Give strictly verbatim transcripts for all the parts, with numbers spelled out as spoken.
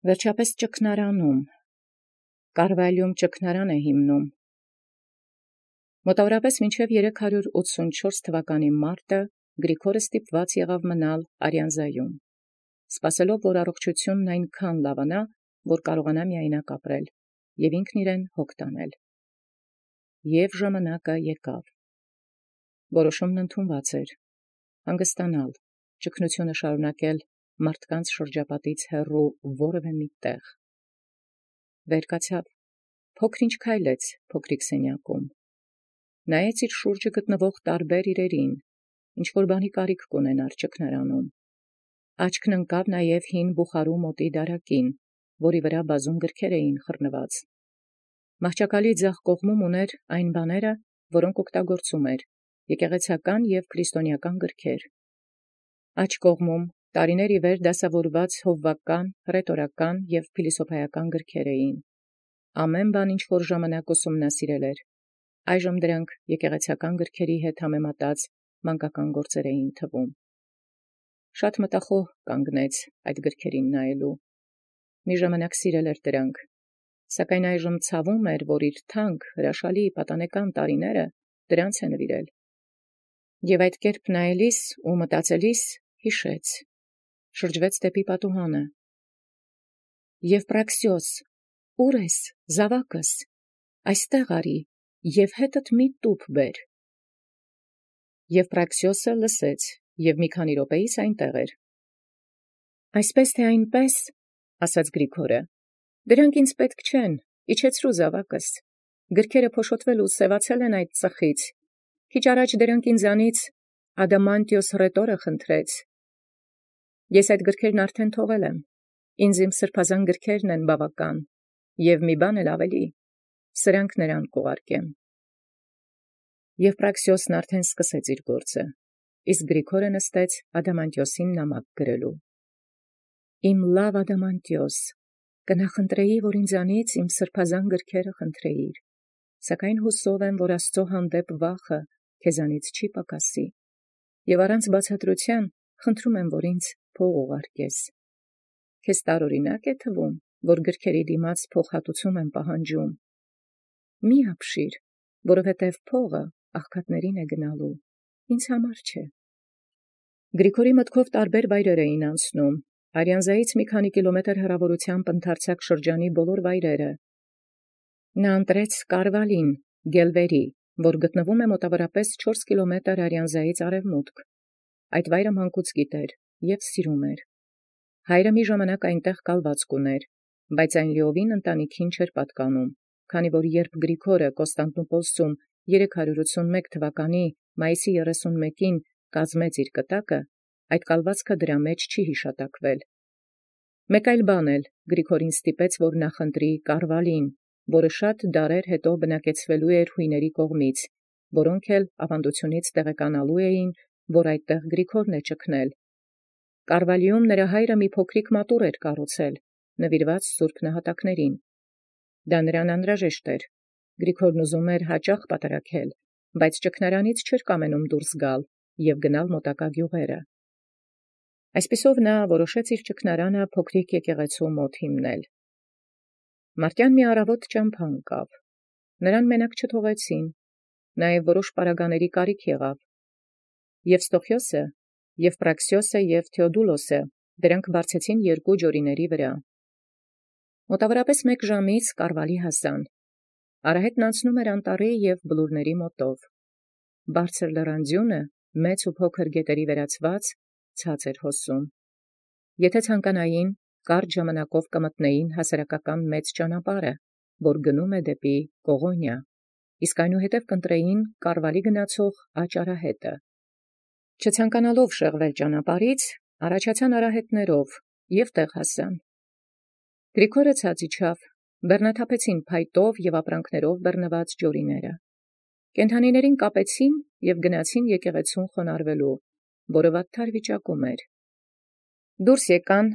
Վերջապես ճգնարանում, Կարվալիում ճգնարան է հիմնում։ Մոտավորապես մինչև երեք հարյուր ութսունչորս թվականի մարտը Գրիգորը ստիպված եղավ մնալ Արիանզայում, սպասելով, որ առողջութիւնն այնքան լավանա, որ կարողանա միայնակ ապրել և ինքն իրեն հոգ տանել։ Եւ ժամանակը եկավ։ Որոշումն ընդունված էր, հանգստանալ, ճգնությունը շարունակել մարդկանց շրջապատից հեռու որևէ մի տեղ։ Վեր կացավ, փոքր-ինչ քայլեց փոքրիկ սենյակում, նայեց իր շուրջը գտնվող տարբեր իրերին, ինչ-որ բանի կարիք կունենար ճգնարանում։ Աչքն ընկավ նաև հին բուխարու մոտի դարակին, որի վրա բազում գրքեր էին խռնված։ Մահճակալի ձախ կողմում ուներ այն բաները, որոնք օգտագործում էր, եկեղեցական և քրիստոնեական գրքեր։ Աջ կողմում տարիներ ի վեր դասավորված հովվական, հռետորական և փիլիսոփայական գրքեր էին։ Ամեն բան, ինչ որ ժամանակ ուսումնասիրել էր, այժմ դրանք եկեղեցական գրքերի հետ համեմատած մանկական գործեր էին թվում։ Շատ մտախոհ կանգնեց այդ գրքերին նայելու։ Մի ժամանակ սիրել էր դրանք, սակայն այժմ ցավում էր, որ իր թանկ, հրաշալի պատանեկան տարիները դրանց է նվիրել։ Եւ այդ կերպ նայելիս ու մտածելիս հիշեց, շրջվեց դեպի պատուհանը։ Եվպրաքսիոս, ուր ես, զավակս, այստեղ արի և հետդ մի տուփ բեր։ Եվպրաքսիոսը լսեց և մի քանի րոպեից այնտեղ էր։ Այսպես թե այնպես, ասաց Գրիգորը, դրանք ինձ պետք չեն, իջեցրու զավակս, գրքերը փոշոտվել ու սևացել են այդ ծխից, քիչ առաջ դրանք ինձանից Ադամանտիոս հռետորը խնդրեց։ Ես այդ գրքերն արդեն թողել եմ, ինձ իմ սրբազան գրքերն են բավական, և մի բան էլ ավելի, սրանք նրան կուղարկեմ։ Եվպրաքսիոսն արդեն սկսեց իր գործը, իսկ Գրիգորը նստեց Ադամանտիոսին նամակ գրելու։ Իմ լավ Ադամանտիոս, կնախընտրեի, որ ինձանից իմ սրբազան գրքերը խնդրեիր, սակայն հուսով եմ, որ Աստծո հանդեպ վախը քեզանից չի պակասի, և առանց բացատրության խնդրում եմ, որ ինձ փող ուղարկես։ Քեզ տարօրինակ է թվում, որ գրքերի դիմաց փոխհատուցում եմ պահանջում։ Մի ապշիր, որովհետև փողը աղքատներին է գնալու, ինձ համար չէ։ Գրիգորի մտքով տարբեր վայրեր էին անցնում, Արիանզայից մի քանի կիլոմետր հեռավորությամբ ընդարձակ շրջանի բոլոր վայրերը։ Նա ընտրեց Կարվալին, Գելվերի, որ գտնվում է մոտավորապես չորս կիլոմետր Արիանզայից արևմուտք։ Այդ վայրը մանկուց գիտեր և սիրում էր։ Հայրը մի ժամանակ այնտեղ կալվածք ուներ, բայց այն լիովին ընտանիքին չէր պատկանում, քանի որ երբ Գրիգորը Կոստանդնուպոլսում երեք հարյուր ութսունմեկ թվականի մայիսի երեսունմեկին կազմեց իր կտակը, այդ կալվածքը դրա մեջ չի հիշատակվել։ Մեկ այլ բան էլ Գրիգորին ստիպեց, որ նախընտրի Կարվալին, որը շատ դարեր հետո բնակեցվելու էր հույների կողմից, որոնք էլ ավանդությունից տեղեկանալու էին, որ այդտեղ Գրիգորն է ճգնել։ Կարվալիում նրա հայրը մի փոքրիկ մատուռ էր կառուցել, նվիրված սուրբ նահատակներին։ Դա նրան անհրաժեշտ էր։ Գրիգորն ուզում էր հաճախ պատարագել, բայց ճգնարանից չէր կամենում դուրս գալ և գնալ մոտակա գյուղերը։ Այսպիսով նա որոշեց իր ճգնարանը փոքրիկ եկեղեցու մոտ հիմնել։ Մարտյան մի առավոտ ճամփա ընկավ։ Նրան մենակ չթողեցին, նաև որոշ պարագաների կարիք եղավ։ Եվստոխիոսը, Եվպրաքսիոսը և Թեոդուլոսը դրանք բարձեցին երկու ջորիների վրա։ Մոտավորապես մեկ ժամից Կարվալի հասան։ Արահետն անցնում էր անտառի և բլուրների մոտով։ Բարձր լեռան ձյունը, մեծ ու փոքր գետերի վերածված, ցած էր հոսում։ Եթե ցանկանային, կարճ ժամանակով կմտնեին հասարակական մեծ ճանապարհը, որ գնում է դեպի Կողոնիա, իսկ այնուհետև կընտրեին Կարվալի գնացող աջ արահետը։ Չցանկանալով շեղվել ճանապարհից, առաջացան արահետներով և տեղ հասան։ Գրիգորը ցած իջավ, բեռնաթափեցին փայտով և ապրանքներով բեռնված ջորիները։ Կենդանիներին կապեցին և գնացին եկեղեցուն խոնարհվելու, որը վատթար վիճակում էր։ Դուրս եկան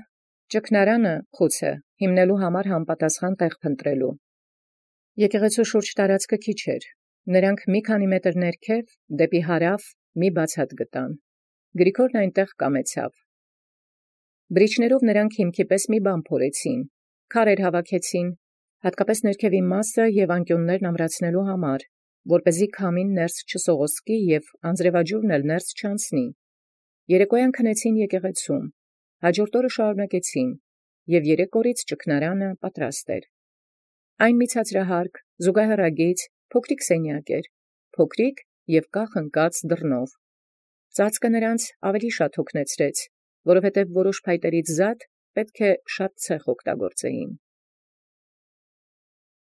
ճգնարանը խուցը հիմնելու համար համապատասխան տեղ փնտրելու։ Եկեղեցու շուրջ տարածքը քիչ էր։ Նրանք մի քանի մետր ներքև դեպի հարավ մի բացատ գտան։ Գրիգորն այնտեղ կամեցավ։ Բրիչներով նրանք հիմքի պես մի բան փորեցին քարեր հավաքեցին, հատկապես ներքևին մասը և անկյուններն ամրացնելու համար, որպեսզի քամին ներս չսողոսկի և անձրևաջուրն էլ ներս չանցնի։ Երեկոյան քնեցին եկեղեցում, հաջորդ օրը շարունակեցին, և երեք օրից ճգնարանը պատրաստ էր։ Այն մի ցածրահարկ, զուգահեռագիծ, փոքրիկ սենյակ էր, փոքրիկ և կախ ընկած դռնով։ Ծածկը նրանց ավելի շատ հոգնեցրեց, որովհետև որոշ փայտերից զատ պետք է շատ ցեխ օգտագործեին։